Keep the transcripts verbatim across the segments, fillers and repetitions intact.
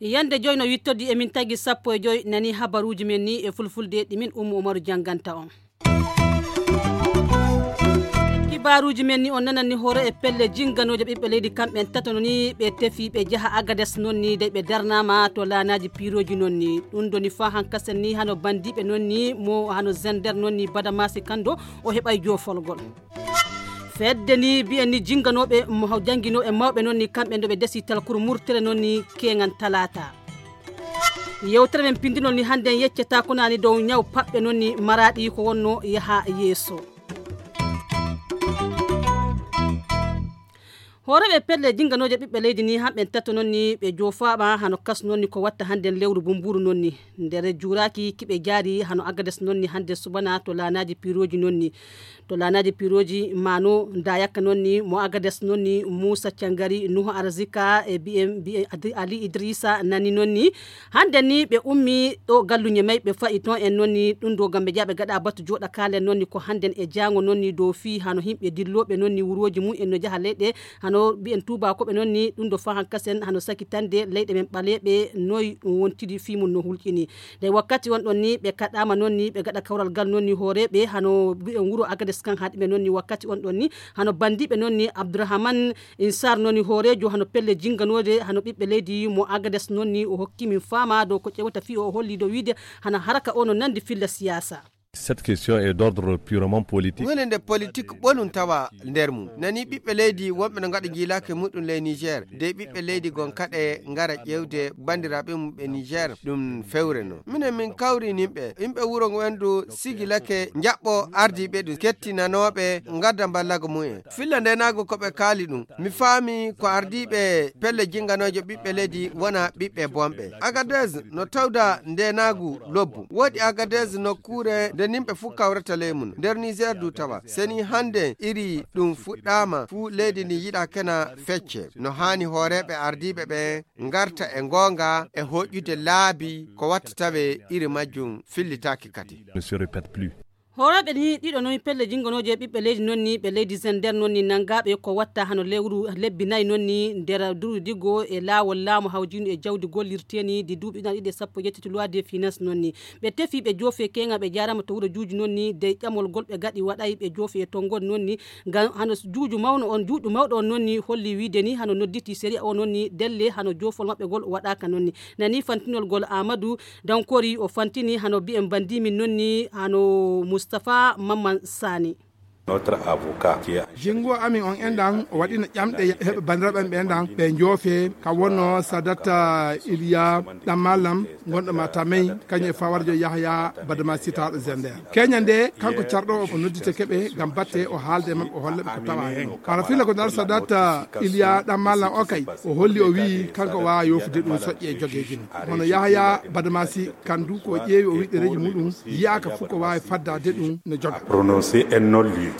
Yande joy no wittodi emin tagi sappo e joy nani habaruuji men ni e fulfulde ɗi min Ummu Umaru jannganta on. Kibaaruuji men ni on nanani hoore e pelle jinganooje ɓiɓɓe leydi kamɓen tato no ni ɓe tefi ɓe jaha Agades non ni dey ɓe darnaama to laanaaji piirooji non ni. Ɗum doni faa hankasen ni hano bandiiɓe non ni mo hano zender non ni Badamasi Kando o heɓay joofolgol. Fedde ni mbiyen ni jinganooɓe mo haw jannginooɓe mawɓe non ni kamɓe ndo ɓe desi talkuru murtere non ni keŋan talaata. Yewtere men pindinol ni hannde en yeccata ko nani dow ñaw paɓɓe non ni maraɗi ko wonno yaha yeeso. Hooreɓe pelle jinganooje ɓiɓɓe leydi ni hamɓe tato non ni ɓe joofaama hano kas non ni ko watta hannde lewru bumburu non ni. Nder juuraaki kiɓe jaari hano Agades non ni hannde subana to laanaaji piirooji non ni. To laanaaji piirooji mano Dayaka non ni mo Agades non ni Muusa Cangari Nuhu Arzika e mbiyen mbiyen Adi- Ali Idrisa nani non ni. Hannde ni ɓe ummi ɗo galluñe may ɓe fa'i ton en non ni ɗum ɗo ngam ɓe jaaɓe gaɗa batu jooɗa kaalen non ni ko hannden e jaango non ni dow fii hano himɓe dillooɓe non ni wurooji mum en no jaha leyɗe hano mbiyen tuubaakoɓe non ni ɗum ɗo faa hankasen hano sakitande leyɗe men ɓaleeɓe noy ɗum wontiri fii mum no hulƴini. Nde wakkati on ɗon ni ɓe kaɗaama non ni ɓe gaɗa kawral gal non ni hooreeɓe hano mbiyen wuro Agades kan haɗi ɓe non ni wakkati on ɗon ni hano bandiiɓe non ni Abdourahmane Insar non ni hooreejo hano pelle jinganooje hano ɓiɓɓe leydi mo Agades non ni o hokki min faama dow ko ƴewata fii o holli dow wiide hana haraka o no nandi filla siyaasa. Cette question est d'ordre purement politique. Woni nde politik ɓolum tawa nder mum. Nani ɓiɓɓe leydi wonɓe no ngaɗa njiilaake muɗum ley Niger. De ɓiɓɓe leydi gon kaɗe ngara ƴeewde banndiraaɓe mum ɓe Niger ɗum fewre no. Minen min kawri nimɓe. Yimɓe wuro ngo endu sigilake njaɓɓo ardiiɓe ɗum kettinanooɓe ngadda mballago mumen. Filla ndenaago ko ɓe kaali ɗum. Mi faami ko ardiiɓe pelle jinganooje ɓiɓɓe leydi wona ɓiɓɓe bonɓe. Agadez no tawda ndenaagu lobbu. Woodi Agadez nokkuure nde nimɓe fuu kawrata ley mum. Nder Niger du tawa. Seni hannde iri ɗum fuɗɗaama fuu leydi ndi yiɗa kena fecce. No haani hooreeɓe ardiiɓe ɓe ngarta e ngoonga e hoƴƴude laabi ko watta tawe iri majjum fillitaaki kadi. Ne se répète plus. Hoorooɓe ni ɗiɗo noon pelle jinngonooje ɓiɓɓe leydi noon ni ɓe leydi Zender noon ni nanngaaɓe ko watta hano lewru lebbi nayi noon ni nder durudi goo e laawol laamu hawjiindu e jawdi gollirteeni di duuɓi ɗiɗi e sappo e jeetati loi de finance noon ni. Ɓe tefi ɓe joofi e keeŋa ɓe jaarama to wuro juuji noon ni dey ƴamol gol ɓe gaɗi waɗay ɓe joofi e tonngol noon ni ngam hano juuju mawno on juuɗu mawɗo on noon ni holli wiide ni hano nodditi sariya o noon ni delle hano joofol maɓɓe gol waɗaaka noon ni. Nani fantinol gol Aamadu Dankori o fantini hano mbiyen bandimin noon ni hano Mustapha Mamman Sani. Jingo amin on enɗan o waɗino ƴamɗe heɓe banndiraaɓe am ɓe enɗan ɓe joofe ka wonno Sadata Iliya ɗammalam gonɗo ma tamay kañum e fawarjo Yahya Badama sitaaɗo Zender. Keña nde kanko carɗo o nodditeke ɓe ngam batte o haalde e maɓɓe o holla ɓe ko tawa heen. Hara filla ko nar Sadata Iliya ɗammalam o kay o holli o wi'i kanko waawa yoofude ɗum soƴƴe e jogeeji mum. Hono Yahya Badamasi kandu ko ƴeewi o wiɗɗereeji muɗum yiyaaka fof ko waawi faddaade ɗum no joga. Prononcer un non-lieu.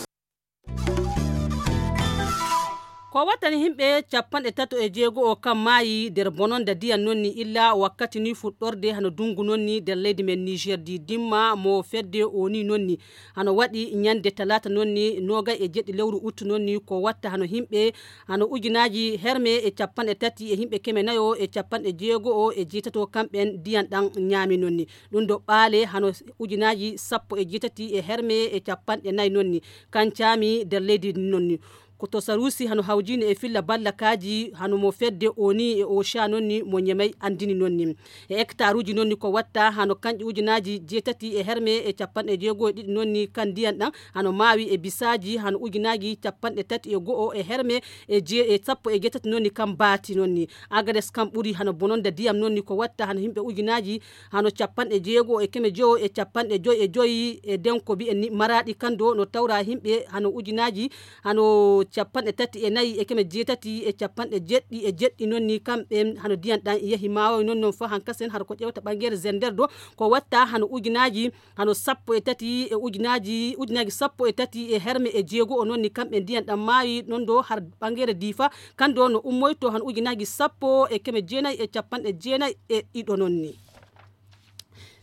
Ko wattani himɓe capanɗe tato e jeego o kam maayi nder bononda diyan noon ni illa wakkati ni fuɗɗorde hano dungu noon ni nder leydi men Niger di dimma mo fedde o ni noon ni hano waɗi ñande talaata noon ni nogay e jeɗɗi lewru uttu noon ni ko watta hano himɓe hano ujunaaji herme e capanɗe tati e himɓe keme nayo e capanɗe jeego o e jeetato kamɓen diyan ɗan ñaami noon ni. Ɗum ɗo ɓaale hano ujunaaji sappo e jeetati e herme e capanɗe nayi noon ni kancaami nder leydi noon ni. Ko to Sarusi hano hawjini e filla ballakaaji hano mo fedde oni e osha noon ni mo ñemay anndini noon ni. E hectaruuji noon ni ko watta hano kanƴe ujunaaji jeetati e herme e capanɗe jeego e ɗiɗi noon ni kan ndiyan ɗan hano maawi e bisaaji hano ujunaaji capanɗe tati e go'o e herme e jee e sappo e jeetati noon ni kan baati noon ni. Agades kan ɓuri hano bononda diyam noon ni ko watta hano himɓe ujunaaji hano capanɗe jeego e keme jowo e capanɗe joy e joy e denko mbiyen ni maraɗi kan do no tawra himɓe hano ujunaaji hano capanɗe tati e nayi e keme jeetati e capanɗe jeɗɗi e jeɗɗi noon ni kamɓe hano diyan ɗan yahi maawoy noon noon fa hankasen hara ko ƴewta ɓangere zender do ko watta hano ujunaaji hano sappo e tati e ujunaaji ujunaaji sappo e tati e herme e jeego o noon ni kamɓe diyan ɗan maayi noon do har ɓangere diifa kan do no ummoyto hano ujunaaji sappo e keme jeenayi e capanɗe jeenayi e ɗiɗo noon ni.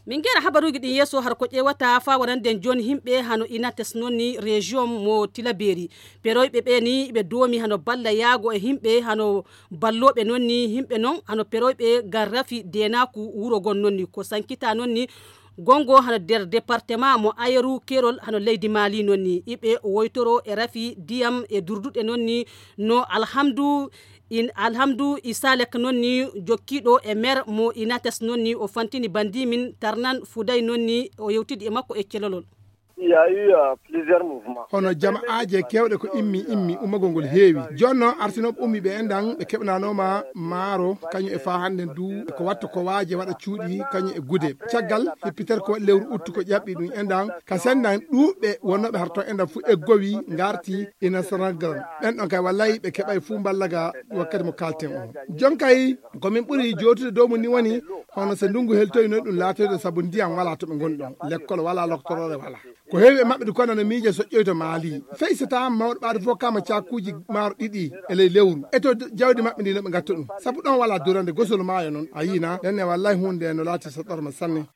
Min ngera habaruuji ɗin yeeso har ko ƴeewata faa warande jooni himɓe hano inates noon ni région mo tilaberi. Peroyɓe ɓe ni ɓe doomi hano balla yaago e himɓe hano ballooɓe noon ni himɓe noon hano peroyɓe ngar rafi deenaaku wuro gon noon ni ko sankita noon ni gongo hano nder département mo ayeru kerol hano leydi maali noon ni iɓe woytoro e rafi diyam e durduɗe noon ni no alhamdu in alhamdu isalek noon ni jokkiiɗo e mer mo inates noon ni o fantini bandimin tarnan fuday noon ni o yewtidi e makko e celolol. Hono jama'aaje keewɗe ko immi immi ummagol ngol heewi. Jooni noon arsinooɓe ummi ɓe enɗan ɓe keɓnanooma maaro kañum e faa hannden du ko watta ko waaje waɗa cuuɗi kañum e gude. Caggal hippiter ko waɗi lewru uttu ko ƴaɓɓi ɗum enɗan ka senndan ɗuuɓɓe wonnooɓe har toon enɗan fof eggowi ngarti ina saragran. Ɓen ɗon kay wallay ɓe keɓay fuu mballa ga wakkati mo kalten o. Jon kay ko min ɓuri jootude dow mum ni woni hono so ndunngu heltoyno ɗum laatoyde sabu ndiyam walaa to ɓe ngoni ɗon lekkol walaa loktoroore walaa. Ko heewi e maɓɓe ndu kono no miije soƴƴoyto maali fey so tawa mawɗo ɓaade fof kama cakuuji maaro ɗiɗi e ley lewru e to jawdi maɓɓe ndi no ɓe ngatta ɗum sabu ɗon walaa durande gosol maayo noon a yiina ɗen e wallay huunde no laati so ɗorma sanne.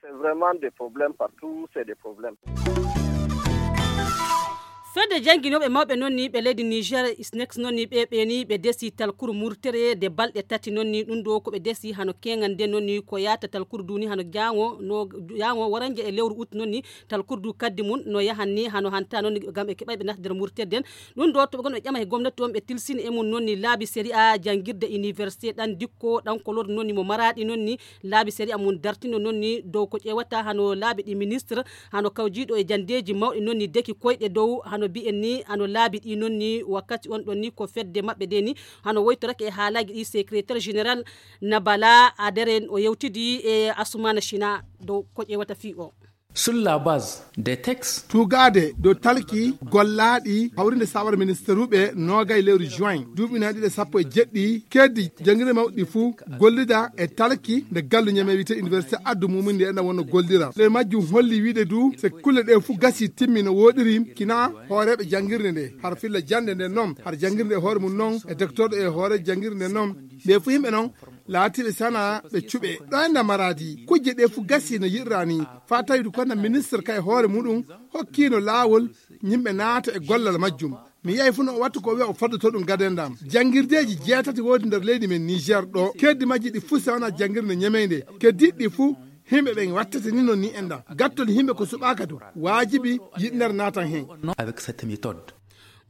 Fedde jannginooɓe mawɓe noon ni ɓe leydi niger isnex noon ni ɓe ɓeeni ɓe desi talkuru murtere de balɗe tati noon ni ɗum ɗo ko ɓe desi hano keŋal nde noon ni ko yaata talkuru duni hano jaŋo no jaŋo waranje e lewru ut noon ni talkuru du kaddi mum no yahan ni hano hanta noon ni ngam ɓe keɓay ɓe nata nder murtere den. Ɗum ɗo to ɓe gon ɓe ƴama e gomnati on ɓe tilsini e mum noon ni laabi sariya janngirde université ɗan dikko ɗan kolor noon ni mo maraɗi noon ni laabi sariya mum dartino noon ni dow ko ƴeewata hano laabi ɗi ministre hano kawjiiɗo e janndeeji mawɗi noon ni deki koyɗe dow hano mbiyen ni hano laabi ɗi noon ni wakkati on ɗon ni ko fedde maɓɓe de ni hano woytorake e haalaaji ɗi secrétaire général nabala adere o yewtidi e asumana china dow ko ƴeewata fii o. Sur la base des textes. Tugaade dow talki gollaaɗi hawrinde sawara ministeruɓe noogay lewru juin duuɓi nayi ɗiɗi e sappo e jeɗɗi keddi janngirde mawɗi fuu gollida e talki nde gallu ñame wiyte université addu mumum nde ena wonno gollira ɗe majjum holli wiide du se kulle ɗe fuu gasi timmi no woɗiri kina hooreɓe janngirde nde har filla jannde nde noon har janngirde e hoore mum noon e docteur e hoore janngirde nde noon ɓe fuu yimɓe noon laatiiɓe sana ɓe cuɓe ɗo enda maradi kujje ɗe fuu gasi no yiɗirani fa tawi du konna ministre kay hoore muɗum hokkino laawol yimɓe naata e gollal majjum mi yahi fuu no o wattu ko wiya o foddoto ɗum gadendam janngirdeeji jeetati woodi nder leydi men niger ɗo keddi majji ɗi fuu sewna janngirde ñemeynde keddiɗi ɗi fuu yimɓe ɓen wattete ni non ni enɗam gattol yimɓe ko suɓaka du waajibi yiɗnere naatan hen. Avec cette méthode.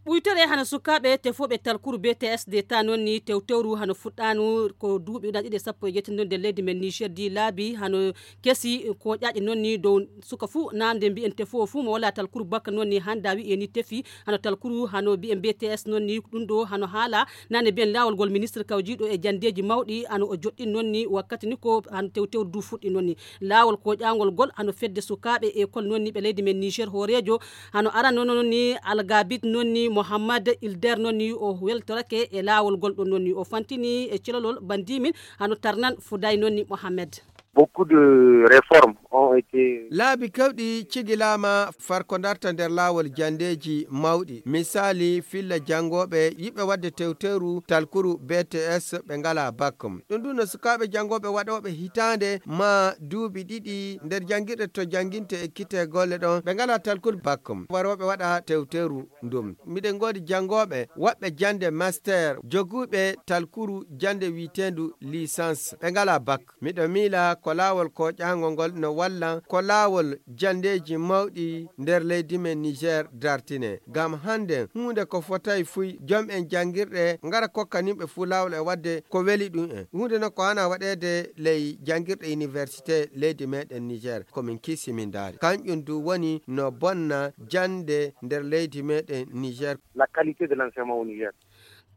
Ɓuytere hano sukaaɓe tefooɓe talkuru B T S de ta noon ni tewtewru hano fuɗɗaanu ko duuɓi ɗiɗi sappo e jeetati nder leydi men Niger di laabi hano kesi ko ƴaƴe noon ni dow suka fuu naamde mbiyen tefoowo fuu mo wala talkuru bakka noon ni hannda wi'e ni tefi hano talkuru hano mbiyen B T S noon ni ɗum ɗo hano haala nane mbiyen laawol ngol ministre kawjiiɗo e janndeeji mawɗi hano o joɗɗin noon ni wakkati ni ko hano tewtewru du fuɗɗi noon ni laawol ko ƴaangol ngol hano fedde sukaaɓe e kol noon ni ɓe leydi men Niger hooreejo hano arano noon ni algabit noon ni mohammad ilder noon ni o weltorake e laawol ngol ɗon noon ni o fantini e celolol bandimin hano tarnan fuday noon ni mohammed. Beaucoup de réformes ont été. Laabi kewɗi cigilaama far ko darta nder laawol janndeeji mawɗi. Misaali filla janngooɓe yiɓɓe waɗde tewteeru talkuru B T S ɓe ngalaa bak. Ɗum ɗum no sukaaɓe janngooɓe waɗooɓe hitaande maa duuɓi ɗiɗi nder janngirɗe to jannginte e kitte golle ɗon ɓe ngalaa talkuru bak. Warooɓe waɗa tewteeru ndum. Miɗen ngoodi janngooɓe waɗɓe jannde master joguuɓe talkuru jannde wiyeteendu licence ɓe ngalaa bak. Miɗo miila ko laawol kooƴaango ngol no walla ko laawol janndeeji mawɗi nder leydi men Niger dartine. Ngam hannden huunde ko fotay fuy jom en janngirɗe ngara kokka nimɓe fuu laawol e waɗde ko weli ɗum en. Huunde noon ko haana waɗeede ley janngirɗe université leydi meeɗen Niger ko min kiisi min ndaari. Kanƴum du woni no bonna jannde nder leydi meeɗen Niger. La qualité de l'enseignement au Niger.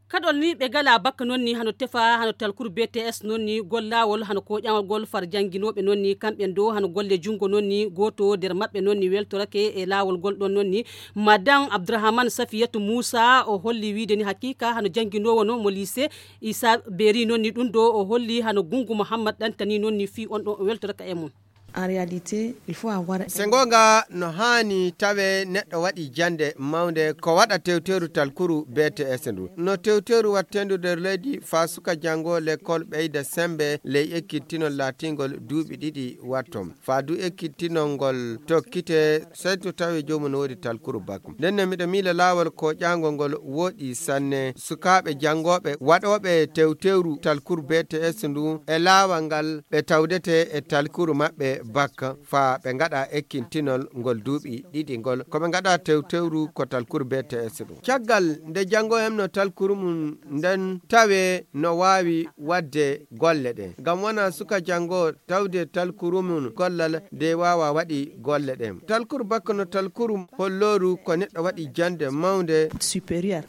Kaɗol ni ɓe gala bakka noon ni hano tefa hano talkuru B T S noon ni gollawol hano koƴawol gol far jannginooɓe noon ni kamɓen do hano golle junngo noon ni gooto nder maɓɓe noon ni weltorake e laawol gol ɗoon noon ni. Madame Abdourahmane Safiyatu Moussa o holli wiide ni hakiika hano jannginoowo noon mo lycée Issa Beri noon ni ɗum ɗo o holli hano Gunngu Mouhammad ɗantani noon ni fii on ɗo o weltoraka e mum. En réalité, il faut avoir se ngoonga no haani tawe neɗɗo waɗi jannde mawnde ko waɗa tewteeru talkuru B T S ndu. No tewteeru watteendu nder leydi faa suka janngo lekkol ɓeyda semmbe ley ekkitinol laatingol duuɓi ɗiɗi watto. Faa du ekkitinol ngol tokkite sey to tawi joomum no woodi talkuru bakko. Nden ne miɗo miila laawol ko ƴaango ngol woɗi sanne sukaaɓe janngooɓe waɗooɓe tewteeru talkuru B T S ndu e laawol ngal ɓe tawdete e talkuru maɓɓe bakka faa ɓe ngaɗa ekkintinol ngol duuɓi ɗiɗi ngol ko ɓe ngaɗa tewtewru ko talkuru B T S ɗum. Caggal nde janngo hemno talkuru mum nden tawe no waawi waɗde golle ɗe. Ngam wona suka janngo tawde talkuru mum gollal de waawa waɗi golle ɗe. Talkuru bakka no talkuru hollooru ko neɗɗo waɗi jannde mawnde supérieur.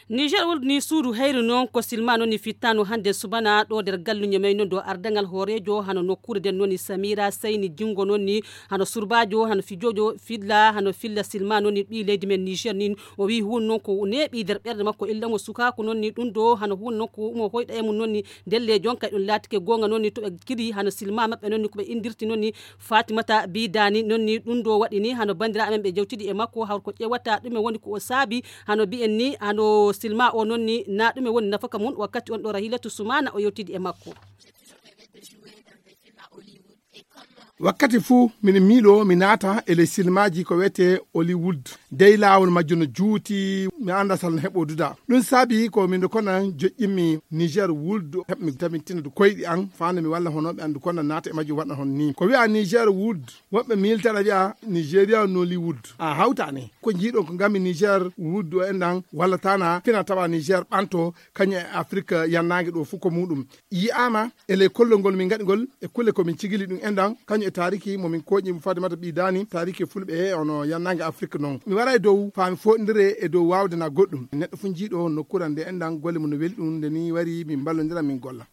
Niger wuldu ni suudu heyru noon ko silma noon ni fittaano hannde subana ɗo nder galluñe may noon ɗo ardaŋal hooreejo hano nokkuure nden noon ni Samira Sayni Jinngo noon ni hano surbaajo hano fijoojo filla hano filla silma noon ni ɓii leydi men Niger ni o wiyi huun noon ko neeɓi nder ɓernde makko illa mo sukaaku noon ni ɗum ɗo hano huun noon ko mo hoyɗa e mum noon ni ndelle jonka ɗum laatike goonga noon ni to ɓe kiri hano silma maɓɓe noon ni ko ɓe inndirti noon ni Fatimata Bidani noon ni ɗum ɗo waɗi ni hano banndiraaɓe men ɓe jewtidi e makko hawr ko ƴeewata ɗume woni ko o saabi hano mbiyen ni hano silma o noon ni na ɗume woni nafaka mum wakkati on ɗo Rahilatu Sumana o yewtidi e makko. Wakkati fuu miɗo miiloo mi naata e ley silmaaji ko wiyetee Hollywood. Dey laawol majjo no juuti, mi anndaa sal no heɓoo duda. Ɗum saabi ko miɗo kona joƴƴinmi Niger Wood heɓmi tabitina du koyɗi an faande mi walla honooɓe an du kona naata e majjum waɗa hon nii. Ko wiyaa Niger Wood woɓɓe miiltana wiyaa Nigeria Nollywood. A hawtaani. Ko njiiɗon ko ngammi Niger Wood o enɗan walla tana fina tawa Niger ɓanto kañum e Afrik yannaange ɗo fuu ko muuɗum. Yi'aama e ley kollol ngol min ngaɗi ngol e kulle ko min cigili ɗum enɗan kañum e taariki mo min kooƴi mo Fatimata Ɓii Daani taariki e fulɓe he ono yannaange Afrik noon. Mi waray dow faa mi fooɗindire e dow waawde na goɗɗum. Neɗɗo fuu jiiɗo nokkuure nde enɗan golle mum no weli ɗum nde ni wari min mballondira min golla.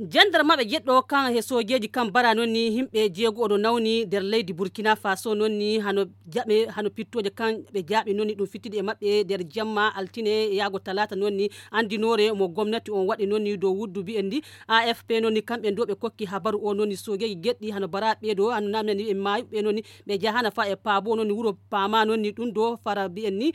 Jandarmaɓe jeɗɗo kan he sojeji kan bara noon ni himɓe jeego oɗo nawni nder leydi Burkina Faso noon ni hano jaɓe hano pittoje kan ɓe jaaɓi noon ni ɗum fittidi e maɓɓe nder jamma altine yaago talata noon ni andinore mo gomnati on waɗi noon ni dow wuddu mbiyen ndi A F P noon ni kamɓe ndo ɓe kokki habaru o noon ni sojeji geɗɗi hano bara ɓeeɗo hano namnani ɓe maayuɓe noon ni ɓe jahana fa e paabo noon ni wuro paama noon ni ɗum do fara mbiyen ni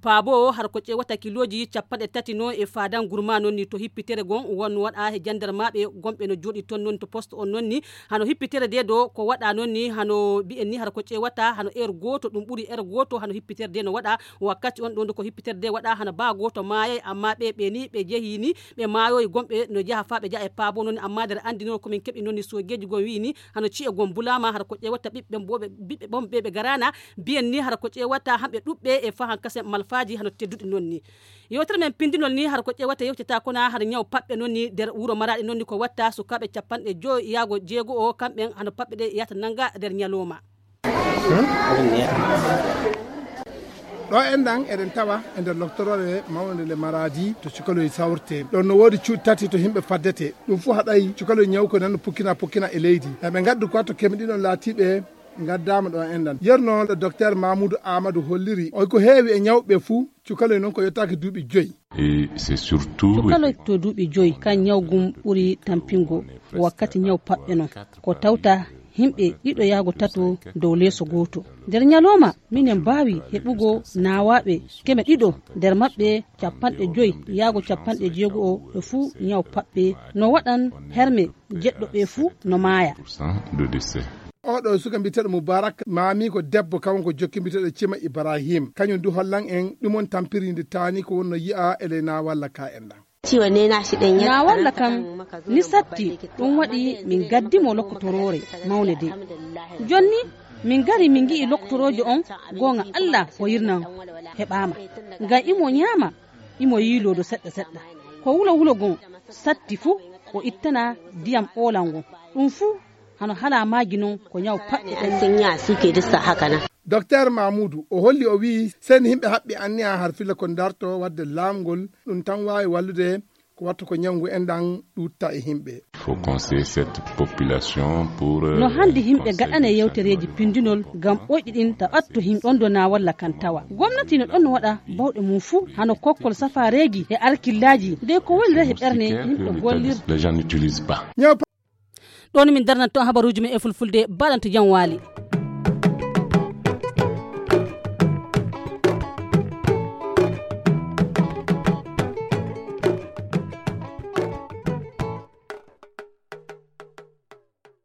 Paabo o har ko ƴeewata kilooji cappanɗe tati no e faadan gurma noon ni to hippitere gon won waɗa he jandarmaaɓe gonɓe no jooɗi toon noon to poste on noon ni hano hippitere de do ko waɗa noon ni hano mbiyen ni har ko ƴeewata hano heure gooto ɗum ɓuri heure gooto hano hippitere de no waɗa wakkati on ɗo nde ko hippitere de waɗa hano baa gooto maayay amma ɓe ɓe ni ɓe jehi ni ɓe maayoyi gonɓe no jaha faa ɓe jaha e paabo noon ni amma nder anndinoo ko min keɓi noon ni soogeeji gon wiyi ni hano ci'e gon bulaama har ko ƴeewata ɓiɓɓe ɓiɓɓe ɓon ɓe ɓe garaana mbiyen ni hara ko ƴeewata hamɓe ɗuɓɓe e fahan kasen malfaaji hano tedduɗi noon ni yewtere men pindinol ni hara ko ƴeewata yewtata kona hara ñaw paɓɓe noon ni nder wuro maraɗi noon ni ko watta sukaaɓe capanɗe joyo yaago jeego o kamɓen hano paɓɓe ɗe yahata nanga nder ñalowma ɗo enɗan eɗen tawa e nder loctorore mawnde nde maradi to cukaloy sawrte ɗon no woodi cuuɗi tati to himɓe faddete ɗum fuu haɗay cukaloy ñaw ko nan no pukkina pukkina e leydi eɓe ngaddu quoi to kemɗiɗon laatiɓe ngaddaama ɗo enɗan yerno docteur mamoudou amadou holliri oy ko heewi e ñawɓe fuu cukaloy noon ko yettaaki duuɓi joyi cukaloy to duuɓi joyi kan ñaw gum ɓuri tampingo wakkati ñaw paɓɓe noon ko tawta himɓe ɗiɗo yaago tato dow leeso gooto nder ñalooma minen mbaawi heɓugo naawaaɓe keme ɗiɗo nder maɓɓe capanɗe joyi yaago capanɗe jeego o ɓe fuu ñaw paɓɓe no waɗan herme jeɗɗo ɓe fuu no maaya oɗo suka mbiyeteɗo moubarak maami ko debbo kanko jokki mbiyeteɗo cima ibrahim kañum du hollan en ɗum on tampiri nde taani ko wonno yi'a e ley nawalla ka en ɗan nawalla kam ni satti ɗum waɗi min gaddi mo lokkotoroore mawne de jonni min ngari min ngi'i lokkotoroojo on goonga allah o yirnan heɓaama ngam imo ñaama imo yiiloodo seɗɗa seɗɗa ko wulo wulo gon satti fuu o ittana ndiyam oolal ngon ɗum fuu hano hala maaji non ko ñaw paɓɓe ɗen docteur mamoudou o holli o wi'i seni himɓe haɓɓi anniya har filla ko darto wadde laamgol ɗum tan waawi wallude ko wattu ko ñawngu en ɗan ɗutta e himɓe no handi himɓe gaɗane yewtereeji pindinol ngam ɓoyɗi ɗin ta ɓatto himɓe ɗon dona walla kan tawa gomnati no ɗon waɗa bawɗe mum fuu hano kokkol safareeji e alkillaaji nde ko woni rehe ɓerne himɓe gollirde Ɗoon min darnata toon habaruuji men e fulfulde, baaɗanto jam waali.